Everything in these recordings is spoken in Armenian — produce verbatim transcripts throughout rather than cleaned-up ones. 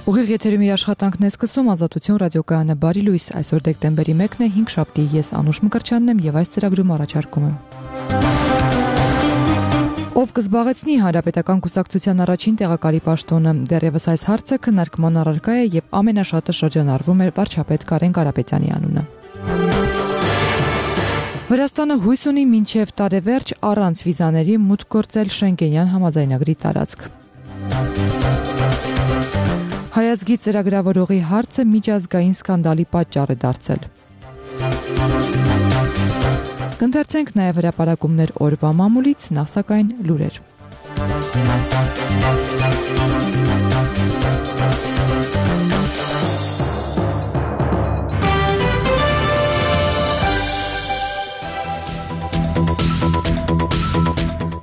Ուղիղ եթերում իր աշխատանքն է սկսում Ազատություն ռադիոկայանը բարի լույս, այսօր դեկտեմբերի մեկն է, հինգշաբթի, ես Անուշ Մկրտչյանն եմ եւ այս ծրագրում առաջարկում եմ. Ով կզբաղեցնի Հանրապետական կուսակցության առաջին տեղակալի պաշտոնը, դեռևս այս հարցը քննարկման առարկա է եւ ամենաշատը շրջանառվում է վարչապետ Կարեն Կարապետյանի անունը. Վրաստանը հույս ունի մինչև տարեվերջ առանց վիզաների մուտք գործել Շենգենյան համաձայնագրի տարածք. Հայազգի ծրագրավորողի հարցը միջազգային սկանդալի պատճառ է դարձել. Կընթերցենք նաև հրապարակումներ օրվա մամուլից, նախ սակայն լուրեր.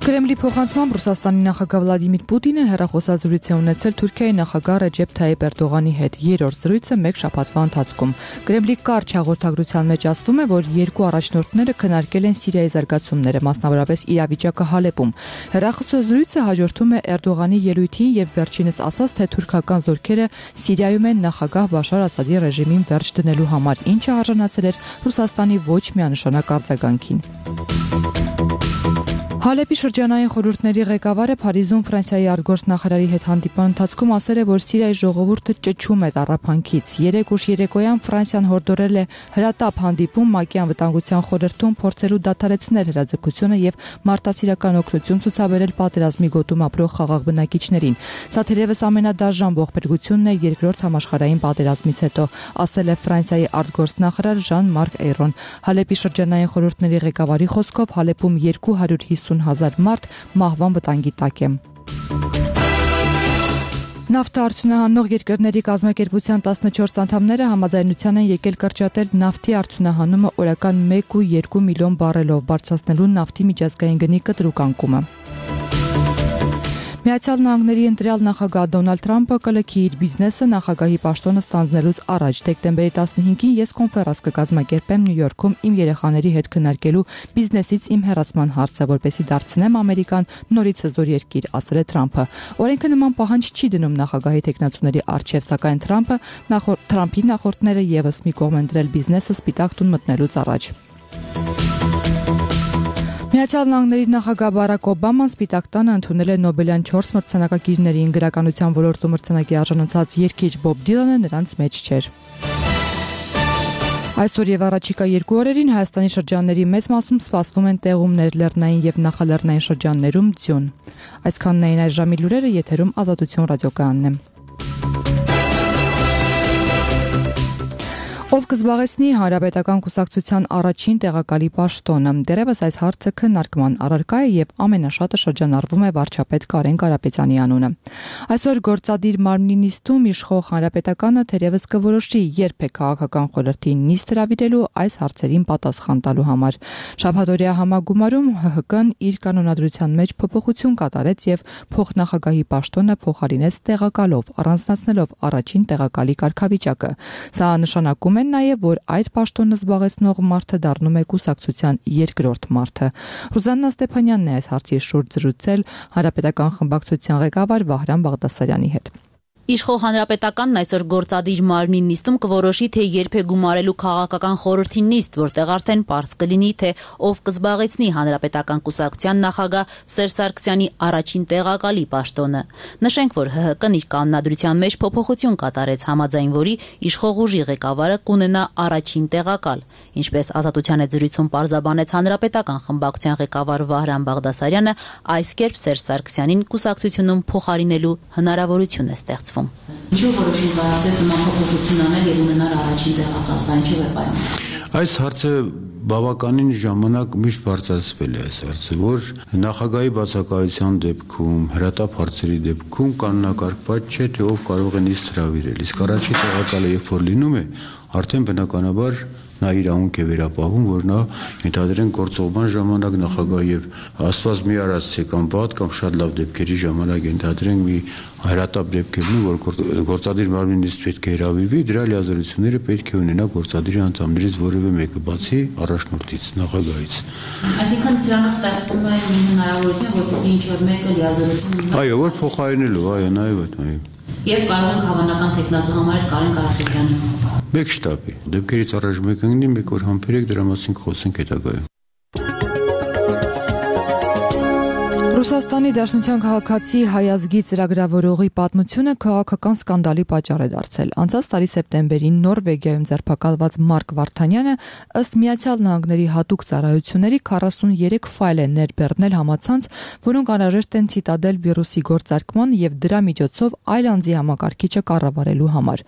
Կրեմլի փոխանցմամբ Ռուսաստանի նախագահ Վլադիմիր Պուտինը հեռախոսազրույց է ունեցել Թուրքիայի նախագահ Ռեջեփ Թայիպ Էրդողանի հետ։ Երրորդ զրույցը մեկ շաբաթվա ընթացքում։ Կրեմլի կարճ հաղորդագրության մեջ ասվում է, որ երկու առաջնորդները քննարկել են Սիրիայի զարգացումները, մասնավորապես իրավիճակը Հալեպում։ Հեռախոսազրույցը հաջորդում է Էրդողանի ելույթին եւ վերջինս ասաց, թե թուրքական զորքերը Սիրիայում են նախագահ Բաշար Ասադի ռեժիմին վերջ դնելու համար, ինչը արժանացել էր Ռուսաստանի ոչ միանշանակ արձագանքին։ Հալեպի շրջանային խորհուրդների ղեկավարը Փարիզում Ֆրանսիայի արտգործնախարարի հետ հանդիպման ընթացքում ասել է, որ Սիրիայի ժողովուրդը ճճում է տառապանքից։ Երեք ուշ երեկոյան Ֆրանսիան հորդորել է հրատապ հանդիպում ՄԱԿ-ի անվտանգության խորհրդում փորձելու դադարեցնել հրաձգությունը եւ մարդասիրական օգնություն ցուցաբերել պատերազմի գոտում ապրող խաղաղ բնակիչներին։ Սա թերևս ամենադաժան ողբերգությունն է երկրորդ համաշխարհային պատերազմից հետո, ասել է Ֆրանսիայի արտգործնախարար Ժան-Մարկ Էյրոն։ Հալեպի շրջանային խորհուրդների ղեկավարի խոսքով Հալեպում երկու հարյուր հիսուն հազար մարդ մահվան վտանգի տակ է։ Նավթը արդյունահանող երկրների կազմակերպության տասնչորս անդամները համաձայնության են եկել կրճատել նավթի արդյունահանումը օրական մեկ ու երկու միլիոն բարելով, բարձրացնելու նավթի միջազգային գնի կտրուկ անկումը։ Միացյալ Նահանգների ընտրյալ նախագահ Դոնալդ Թրամփը կլքի իր բիզնեսը նախագահի պաշտոնը ստանձնելուց առաջ։ Դեկտեմբերի տասնհինգին ես կոնֆերանս կկազմակերպեմ Նյու Յորքում իմ երեխաների հետ քննարկելու բիզնեսից իմ հեռացման հարցը, որպեսզի դարձնեմ Ամերիկան նորից հզոր երկիր, ասել է Թրամփը։ Օրենքը նման պահանջ չի դնում նախագահի թեկնածուների առջև, սակայն Թրամփը նախորդ Թրամփի նախորդները եւս մի կողմ են դրել բիզնեսը Սպիտակ տուն մտնելուց առաջ։ Միացյալ Նահանգների նախագահ Բարակ Օբաման Սպիտակ տանը ընդունել է Նոբելյան չորս մրցանակակիրներին, գրականության ոլորտում մրցանակի արժանացած երգիչ Բոբ Դիլանը նրանց մեջ չէր։ Այսօր եւ առաջիկա երկու օրերին Հայաստանի շրջանների մեծ մասում սպասվում են տեղումներ, լեռնային եւ նախալեռնային շրջաններում ձյուն։ Այսքանն էին այս ժամի լուրերը, եթերում Ազատություն ռադիոկայանն է։ Ով կզբաղեցնի Հանրապետական կուսակցության առաջին տեղակալի պաշտոնը, դեռևս այս հարցը քննարկման առարկա է եւ ամենաշատը շրջանառվում է վարչապետ Կարեն Կարապետյանի անունը։ Այսօր գործադիր մարմնի նիստում իշխող Հանրապետականը թերևս կորոշի, երբ է քաղաքական խորհրդի նիստ հրավիրելու այս հարցերին պատասխան տալու համար։ Շաբաթօրյա համագումարում ՀՀԿ-ն իր կանոնադրության մեջ փոփոխություն կատարեց եւ փոխնախագահի պաշտոնը փոխարինեց տեղակալով, առանձնացնելով առաջին տեղակալի կարգավիճակը։ Սա նշանակում է նաև, որ այդ պաշտոնը զբաղեցնող մարդը դառնում է կուսակցության երկրորդ մարդը։ Ռուզաննա Ստեփանյանն է այս հարցի շուրջ զրուցել Հանրապետական խմբակցության ղեկավար Վահրամ Բաղդասարյանի հետ։ Իշխող Հանրապետականն այսօր գործադիր մարմնի նիստում կորոշի, թե երբ է գումարելու քաղաքական խորհրդի նիստ, որտեղ արդեն պարզ կլինի, թե ով կզբաղեցնի Հանրապետական կուսակցության նախագահ Սերժ Սարգսյանի առաջին տեղակալի պաշտոնը։ Նշենք, որ ՀՀԿ-ն իր կանոնադրության մեջ փոփոխություն կատարեց, համաձայն որի իշխող ուժի ղեկավարը կունենա առաջին տեղակալ։ Ինչպես Ազատության հետ զրույցում պարզաբանեց Հանրապետական խմբակցության ղեկավար Վահրամ Բաղդասարյանը, այս կերպ Սերժ Սարգսյանին կուսակցությունում փոխարինելու հնարավորություն է ստեղծվում։ Ինչու որոշում կայացրեց նման փոփոխություն անել եւ ունենալ առաջին տեղակալ, սա ինչու է պայման։ Այս հարցը բավականին ժամանակ միշտ բարձրացվել է այս հարցը, որ նախագահի բացակայության դեպքում, հրատապ հարցերի դեպքում կանոնակարգված չէ, թե ով կարող է նիստ հրավիրել։ Իսկ առաջին տեղակալը երբ որ լինում է, արդեն բնականաբար նա իր անունք է վերապահում, որ նա ենթադրեն գործողման ժամանակ նախագահ եւ աստված մի արած է կամ վատ կամ շատ լավ դեպքերի ժամանակ ենթադրենք մի հրատապ դեպքերն ու որ գործադիր մարմնի նիստ պետք է հրավիրվի, դրա լիազորությունները պետք է ունենա գործադիրի անդամներից որևէ մեկը, բացի առաջնորդից, նախագահից։ Այսինքն դրանով ստացվում է մի հնարավորություն, որպեսզի ինչ որ մեկը լիազորություն ունենա։ Այո, որ փոխարինելու, այո, նաեւ այդ, այո։ Եվ կարող ենք հավանական թեկնածու համար Կարեն Կարապետյանի Մեկ շտաբի, դեպքերից առաջ մեկ ընկնի, մեկ օր համբերեք, դրա մասին խոսենք հետագայում։ Ռուսաստանի Դաշնության քաղաքացի հայազգի ծրագրավորողի պատմությունը քաղաքական սկանդալի պատճառ է դարձել։ Անցած տարի սեպտեմբերին Նորվեգիայում ձերբակալված Մարկ Վարդանյանը ըստ Միացյալ Նահանգների հատուկ ծառայությունների քառասուններեք ֆայլ է ներբեռնել համացանց, որոնք անհրաժեշտ են ցիտադել վիրուսի գործարկման եւ դրա միջոցով այլ անձի համակարգիչը կառավարելու համար։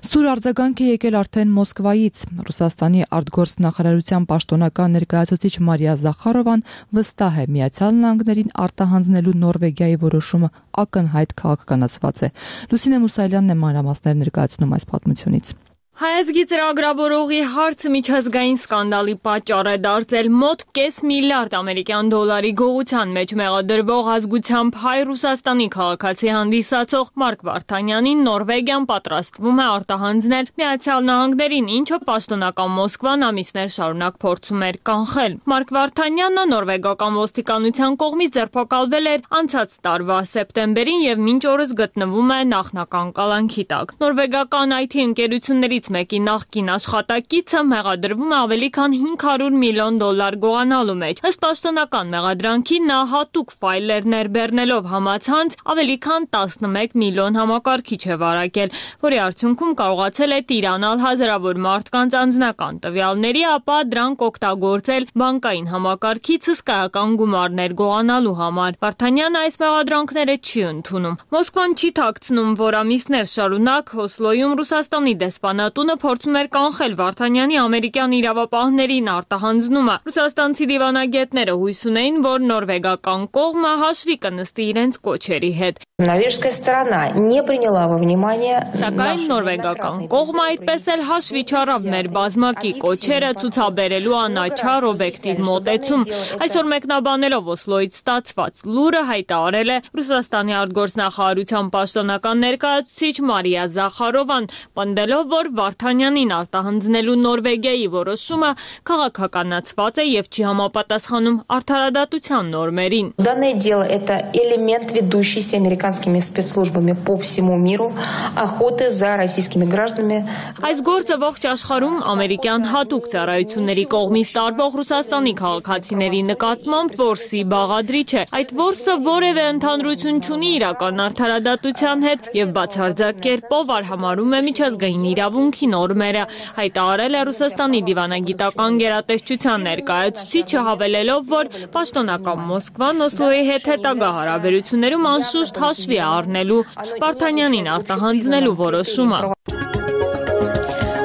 Սուր արձագանք է եկել արդեն Մոսկվայից։ Ռուսաստանի արտգործնախարարության պաշտոնական ներկայացուցիչ Մարիա Զախարովան վստահ է Միացյալ Նահանգներին արտահանձնելու Նորվեգիայի որոշումը ակնհայտ քաղաքականացված է։ Լուսինե Մուսայելյանն է մանրամասներ ներկայացնում այս պատմությունից։ Հայազգի ծրագրավորողի հարցը միջազգային սկանդալի պատճառ է դարձել մոտ կես միլիարդ ամերիկյան դոլարի գողության մեջ մեղադրվող ազգությամբ հայ Ռուսաստանի քաղաքացի հանդիսացող Մարկ Վարդանյանին Նորվեգիան պատրաստվում է արտահանձնել Միացյալ Նահանգներին, ինչը պաշտոնական Մոսկվան ամիսներ շարունակ փորձում էր կանխել։ Մարկ Վարդանյանը նորվեգական ոստիկանության կողմից ձերբակալվել էր անցած տարվա սեպտեմբերին եւ մինչ օրս գտնվում է նախնական կալանքի տակ։ Նորվեգական այ թի ընկերություններից մեկի նախկին աշխատակիցը մեղադրվում է ավելի քան հինգ հարյուր միլիոն դոլար գողանալու մեջ։ Ըստ պաշտոնական մեղադրանքի նա հատուկ ֆայլեր ներբեռնելով համացանց ավելի քան տասնմեկ միլիոն համակարգիչ է վարակել, որի արդյունքում կարողացել է տիրանալ հազարավոր մարդկանց անձնական տվյալների, ապա դրանք օգտագործել բանկային համակարգից հսկայական գումարներ գողանալու համար։ Վարդանյանը այս մեղադրանքները չի ընդունում։ Մոսկվան չի թաքցնում, որ ամիսներ շարունակ Օսլոյում Ռուսաստանի դեսպանատունը փորձում էր կանխել Վարդանյանի ամերիկյան իրավապահներին արտահանձնումը։ Ռուսաստանցի դիվանագետները հույս ունեին, որ նորվեգական կողմը հաշվի կնստի իրենց կոչերի հետ։ Норвежская сторона не приняла во внимание Սակայն նորվեգական կողմը այդպես էլ հաշվի չառավ մեր բազմակի կոչերը ցուցաբերելու անաչառ օբյեկտիվ մոտեցում։ Այսօր մեկնաբանելով Օսլոյից ստացված լուրը հայտարարել է Ռուսաստանի արտգործնախարարության պաշտոնական ներկայացուցիչ Մարիա Զախարովան, պնդելով, որ Վարդանյանին արտահանձնելու Նորվեգիայի որոշումը քաղաքականացված է եւ չի համապատասխանում արդարադատության նորմերին։ Данное дело это элемент ведущейся американскими спецслужбами по всему миру охоты за российскими гражданами. Այս գործը ողջ աշխարհում ամերիկյան հատուկ ծառայությունների կողմից տարվող Ռուսաստանի քաղաքացիների նկատմամբ որսի բաղադրիչ է։ Այդ որսը որևէ ընդհանրություն չունի իրական արդարադատության հետ եւ բացարձակ կերպով արհամարհում է միջազգային իրավունքի նորմերը, հայտարարել է Ռուսաստանի դիվանագիտական գերատեսչության ներկայացուցիչը, հավելելով, որ պաշտոնական Մոսկվան Օսլոյի հետ հետագա հարաբերություններում անշուշտ հաշվի է առնելու Վարդանյանին արտահանձնելու որոշումը։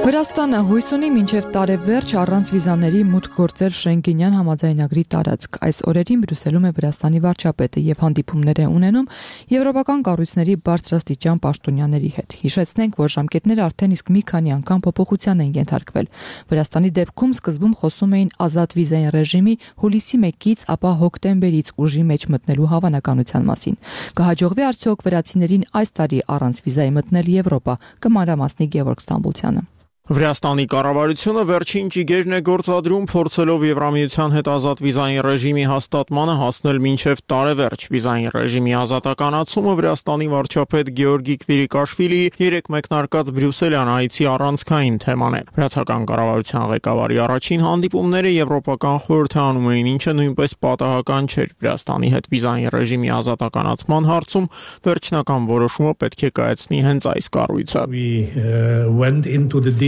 Վրաստանը հույս ունի մինչև տարեվերջ առանց վիզաների մուտք գործել Շենգենյան համաձայնագրի տարածք։ Այս օրերին Բրյուսելում է Վրաստանի վարչապետը եւ հանդիպումներ է ունենում եվրոպական կառույցների բարձրաստիճան պաշտոնյաների հետ։ Հիշեցնենք, որ ժամկետները արդեն իսկ մի քանի անգամ փոփոխության են ենթարկվել։ Վրաստանի դեպքում սկզբում խոսում էին ազատ վիզային ռեժիմի հուլիսի մեկից, ապա հոկտեմբերից ուժի մեջ մտնելու հավանականության մասին։ Կհաջողվի արդյոք վրացիներին այս տարի առանց վիզայի մտնել Եվրոպա, կմանրամասնի Գևորգ Ստամբուլցյանը։ Վրաստանի կառավարությունը վերջին ճիգերն է գործադրում փորձելով Եվրամիության հետ ազատ վիզային ռեժիմի հաստատմանը հասնել մինչև տարեվերջ։ Վիզային ռեժիմի ազատականացումը Վրաստանի վարչապետ Գեորգի Քվիրիկաշվիլիի երեք մեկնարկած Բրյուսելյան այցի առանցքային թեման է։ Վրացական կառավարության ղեկավարի առաջին հանդիպումները Եվրոպական խորհրդը անում էին, ինչը նույնպես պատահական չէր։ Վրաստանի հետ վիզային ռեժիմի ազատականացման հարցում վերջնական որոշումը պետք է կայացնի հենց այս կառույցը։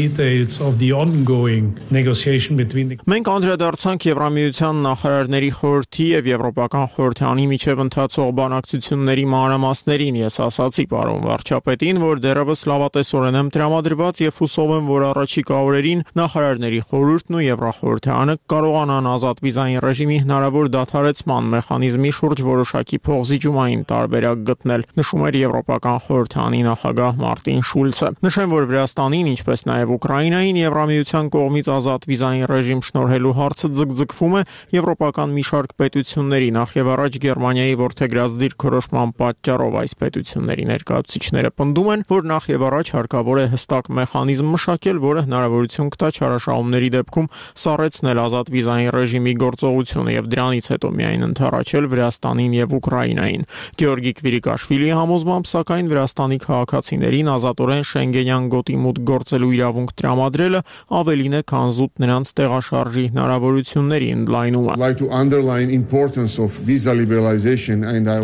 Of the ongoing negotiation between the... Մենք անդրադարձանք Եվրամիության նախարարների խորհրդի եւ Եվրոպական խորհրդանի միջև ընթացող բանակցությունների մանրամասներին։ Ես ասացի պարոն վարչապետին, որ դեռևս լավատեսորեն եմ տրամադրված եւ հուսով եմ, որ առաջիկա օրերին նախարարների խորհուրդն ու Եվրախորհրդանը կարողանան ազատ վիզային ռեժիմի հնարավոր դադարեցման մեխանիզմի շուրջ որոշակի փոխզիջումային տարբերակ գտնել, նշում էր Եվրոպական խորհրդանի նախագահ Մարտին Շուլցը։ Նշեմ, որ Վրաստանին, ինչպես նաեւ Ուկրաինային Եվրամիության կողմից ազատ վիզային ռեժիմ շնորհելու հարցը ձգձգվում է եվրոպական մի շարք պետությունների, նախ եւ առաջ Գերմանիայի ворթեգրած դիրքորոշման պատճառով այս պետությունների ներկայացուցիչները պնդում են, որ նախ եւ առաջ հարկավոր է հստակ մեխանիզմ մշակել, որը հնարավորություն կտա չարաշահումների դեպքում սառեցնել ազատ վիզային ռեժիմի գործողությունը եւ դրանից հետո միայն ընդառաջել Վրաստանին եւ Ուկրաինային։ Գեորգի Կվիրիկաշվիլիի համոզմամբ, սակայն Վրաստանի քաղաքացիներին ազատորեն Շենգենյան գոտի մուտք գործելու իրավունք տրամադրելը ավելին է, քան զուտ նրանց տեղաշարժի հնարավորությունների ընդլայնումը։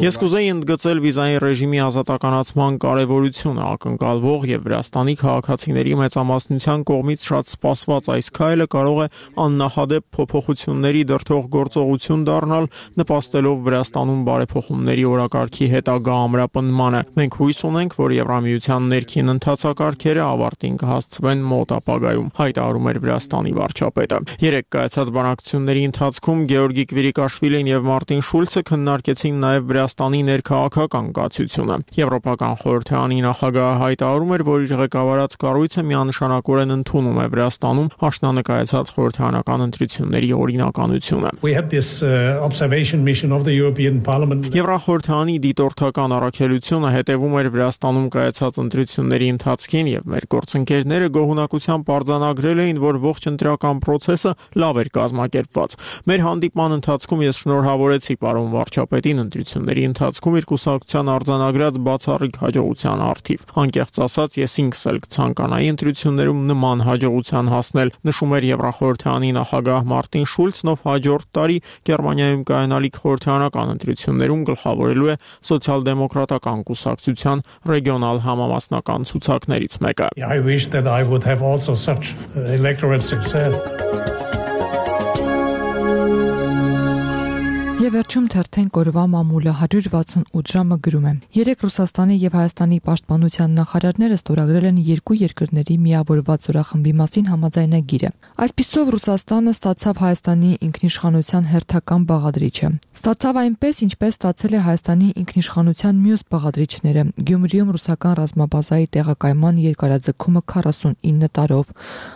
Ես կուզեի ընդգծել վիզային ռեժիմի ազատականացման կարևորությունը, ակնկալվող եւ Վրաստանի քաղաքացիների մեծամասնության կողմից շատ սպասված այս քայլը կարող է աննախադեպ փոփոխությունների դրդող գործողություն դառնալ, նպաստելով Վրաստանում բարեփոխումների օրակարգի հետագա ամրապնդմանը։ Մենք հույս ունենք, որ Եվրամիության ներքին ընթացակարգերը ավարտին կհասցվեն մոտ ապագայում, հայտարարում էր Վրաստանի վարչապետը։ Երեք կայացած բանակցությունների ընթացքում Գեորգի Կվիրիկաշվիլին եւ Մարտին Շուլցը քննարկեցին նաեւ Վրաստանի ներքաղաքական կացությունը։ Եվրոպական խորհրդարանի նախագահը հայտարարում էր, որ իր ղեկավարած կառույցը միանշանակորեն ընդունում է Վրաստանում աշնանկայացած խորհրդարանական ընտրությունների օրինականությունը։ Եվրախորհրդարանի դիտորդական առաքելությունը հետևում էր Վրաստանում կայացած ընտրությունների ընթացքին եւ մեր գործընկերները գոհունակությամբ արձանագրել էին, որ ողջ ընտրական process-ը լավ էր կազմակերպված։ Մեր հանդիպման ընթացքում ես շնորհավորեցի պարոն վարչապետին ընտրությունների ընթացքում իր կուսակցության արձանագրած բացառիկ հաջողության առթիվ։ Անկեղծ ասած, ես ինքս էլ կցանկանայի ընտրություններում նման հաջողության հասնել, նշում էր Եվրախորհրդարանի նախագահ Մարտին Շուլցն, ով հաջորդ տարի Գերմանիայում կայանալիք խորհրդարանական ընտրություններում գլխավորելու է սոցիալ-դեմոկրատական կուսակցության ռեգիոնալ համամասնական ցուցակներից մեկը։ I wish that I would have also such electoral success. Եվ վերջում թերթեն կորվա մամուլը հարյուր վաթսունութ ժամը գրում է. Երեք Ռուսաստանի եւ Հայաստանի պաշտպանության նախարարները ստորագրել են երկու երկրների միավորված զորախմբի մասին համաձայնագիրը։ Այսպիսով Ռուսաստանը ստացավ Հայաստանի ինքնիշխանության հերթական բաղադրիչը։ Ստացավ այնպես, ինչպես ստացել է Հայաստանի ինքնիշխանության մյուս բաղադրիչները՝ Գյումրիում ռուսական ռազմաբազայի տեղակայման երկարաձգումը քառասունինը տարով,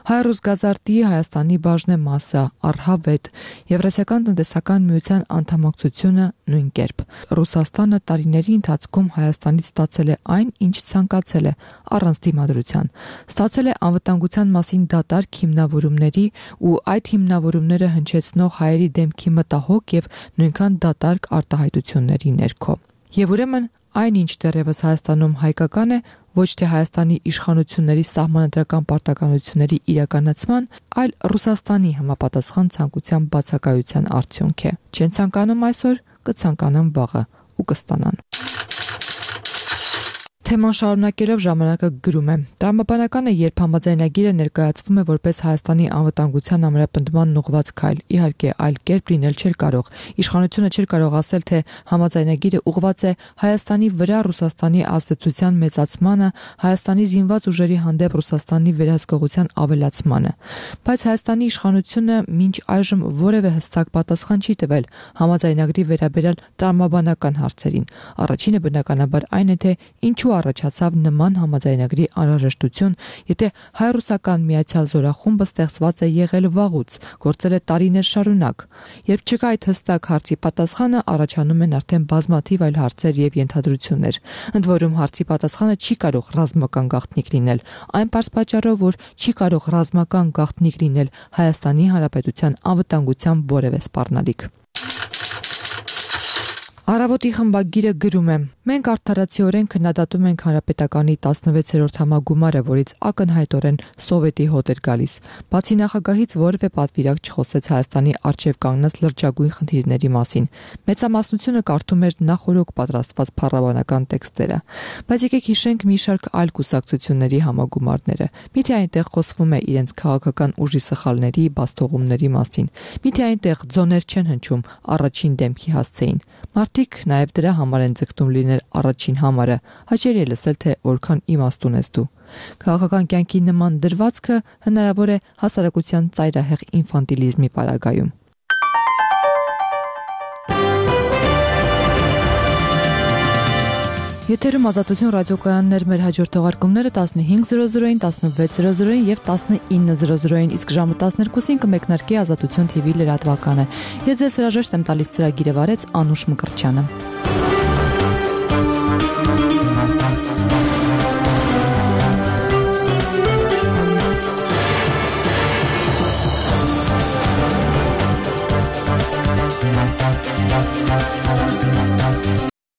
Հայ-Ռուսգազարտի Հայաստանի բաժնեմասը, Արհավետ, Եվրասիական տնտեսական միության անդամակցությունը նույն կերպ։ Ռուսաստանը տարիների ընթացքում Հայաստանից ստացել է այն, ինչ ցանկացել է, առանց դիմադրության։ Ստացել է անվտանգության մասին դատարկ հիմնավորումների ու այդ հիմնավորումները հնչեցնող հայերի դեմքի մտահոգ եւ նույնքան դատարկ արտահայտությունների ներքո։ Եվ ուրեմն այնինչ դեռևս Հայաստանում հայկական է, ոչ թե Հայաստանի իշխանությունների սահմանադրական պարտականությունների իրականացման, այլ Ռուսաստանի համապատասխան ցանկության բացակայության արդյունք է։ Չեն ցանկանում այսօր, կցանկանան վաղը ու կստանան։ Թեման շարունակելով ժամանակը գրում է. Տրամաբանականը, երբ համաձայնագիրը ներկայացվում է որպես Հայաստանի անվտանգության ամրապնդման ուղղված քայլ, իհարկե այլ կերպ լինել չէր կարող։ Իշխանությունը չէր կարող ասել, թե համաձայնագիրը ուղղված է Հայաստանի վրա Ռուսաստանի ազդեցության մեծացմանը, Հայաստանի զինված ուժերի հանդեպ Ռուսաստանի վերահսկողության ավելացմանը։ Բայց Հայաստանի իշխանությունը մինչ այժմ որևէ հստակ պատասխան չի տվել համաձայնագրի վերաբերյալ տրամաբանական հարցերին։ Առաջինը բնականաբար այն է, թե ինչու առաջացավ նման համաձայնագրի անհրաժեշտություն, եթե հայ-ռուսական միացյալ զորախումբը ստեղծված է եղել վաղուց, գործել է տարիներ շարունակ։ Երբ չկա այդ հստակ հարցի պատասխանը, առաջանում են արդեն բազմաթիվ այլ հարցեր եւ ենթադրություններ։ Ընդ որում հարցի պատասխանը չի կարող ռազմական գաղտնիք լինել, այն պարզ պատճառով, որ չի կարող ռազմական գաղտնիք լինել Հայաստանի Հանրապետության անվտանգության որևէ սպառնալիք։ Առավոտի խմբագիրը գրում է. Մենք արդարացիորեն քննադատում ենք Հանրապետականի տասնվեցերորդ համագումարը, որից ակնհայտորեն սովետի հոտ էր գալիս։ Բացի նախագահից որևէ պատվիրակ չխոսեց Հայաստանի առջև կանգնած լրջագույն խնդիրների մասին։ Մեծամասնությունը կարդում էր նախօրոք պատրաստված փառաբանական տեքստերը։ Բայց եկեք հիշենք մի շարք այլ կուսակցությունների համագումարները։ Միթե այնտեղ խոսվում է իրենց քաղաքական ուժի սխալների, բաստողումների մասին։ Միթե այնտեղ ձոներ չեն հնչում առաջին դեմքի հասցեին։ Մարդիկ նաև դրա համար են ձգտում լինել առաջին համարը։ Հաճելի է լսել, թե որքան իմաստ ունես դու։ Քաղաքական կյանքի նման դրվածքը հնարավոր է հասարակության ծայրահեղ ինֆանտիլիզմի պարագայում։ Եթերում Ազատություն ռադիոկայաններ, մեր հաջորդ թողարկումները տասնհինգ զրո զրոին, տասնվեց զրո զրոին եւ տասնինը զրո զրոին, իսկ ժամը տասներկուսին կմեկնարկի Ազատություն թի վի լրատվականը։ Ես ձեզ հրաժեշտ եմ տալիս ծրագիրը վարեց Անուշ Մկրտչյանը։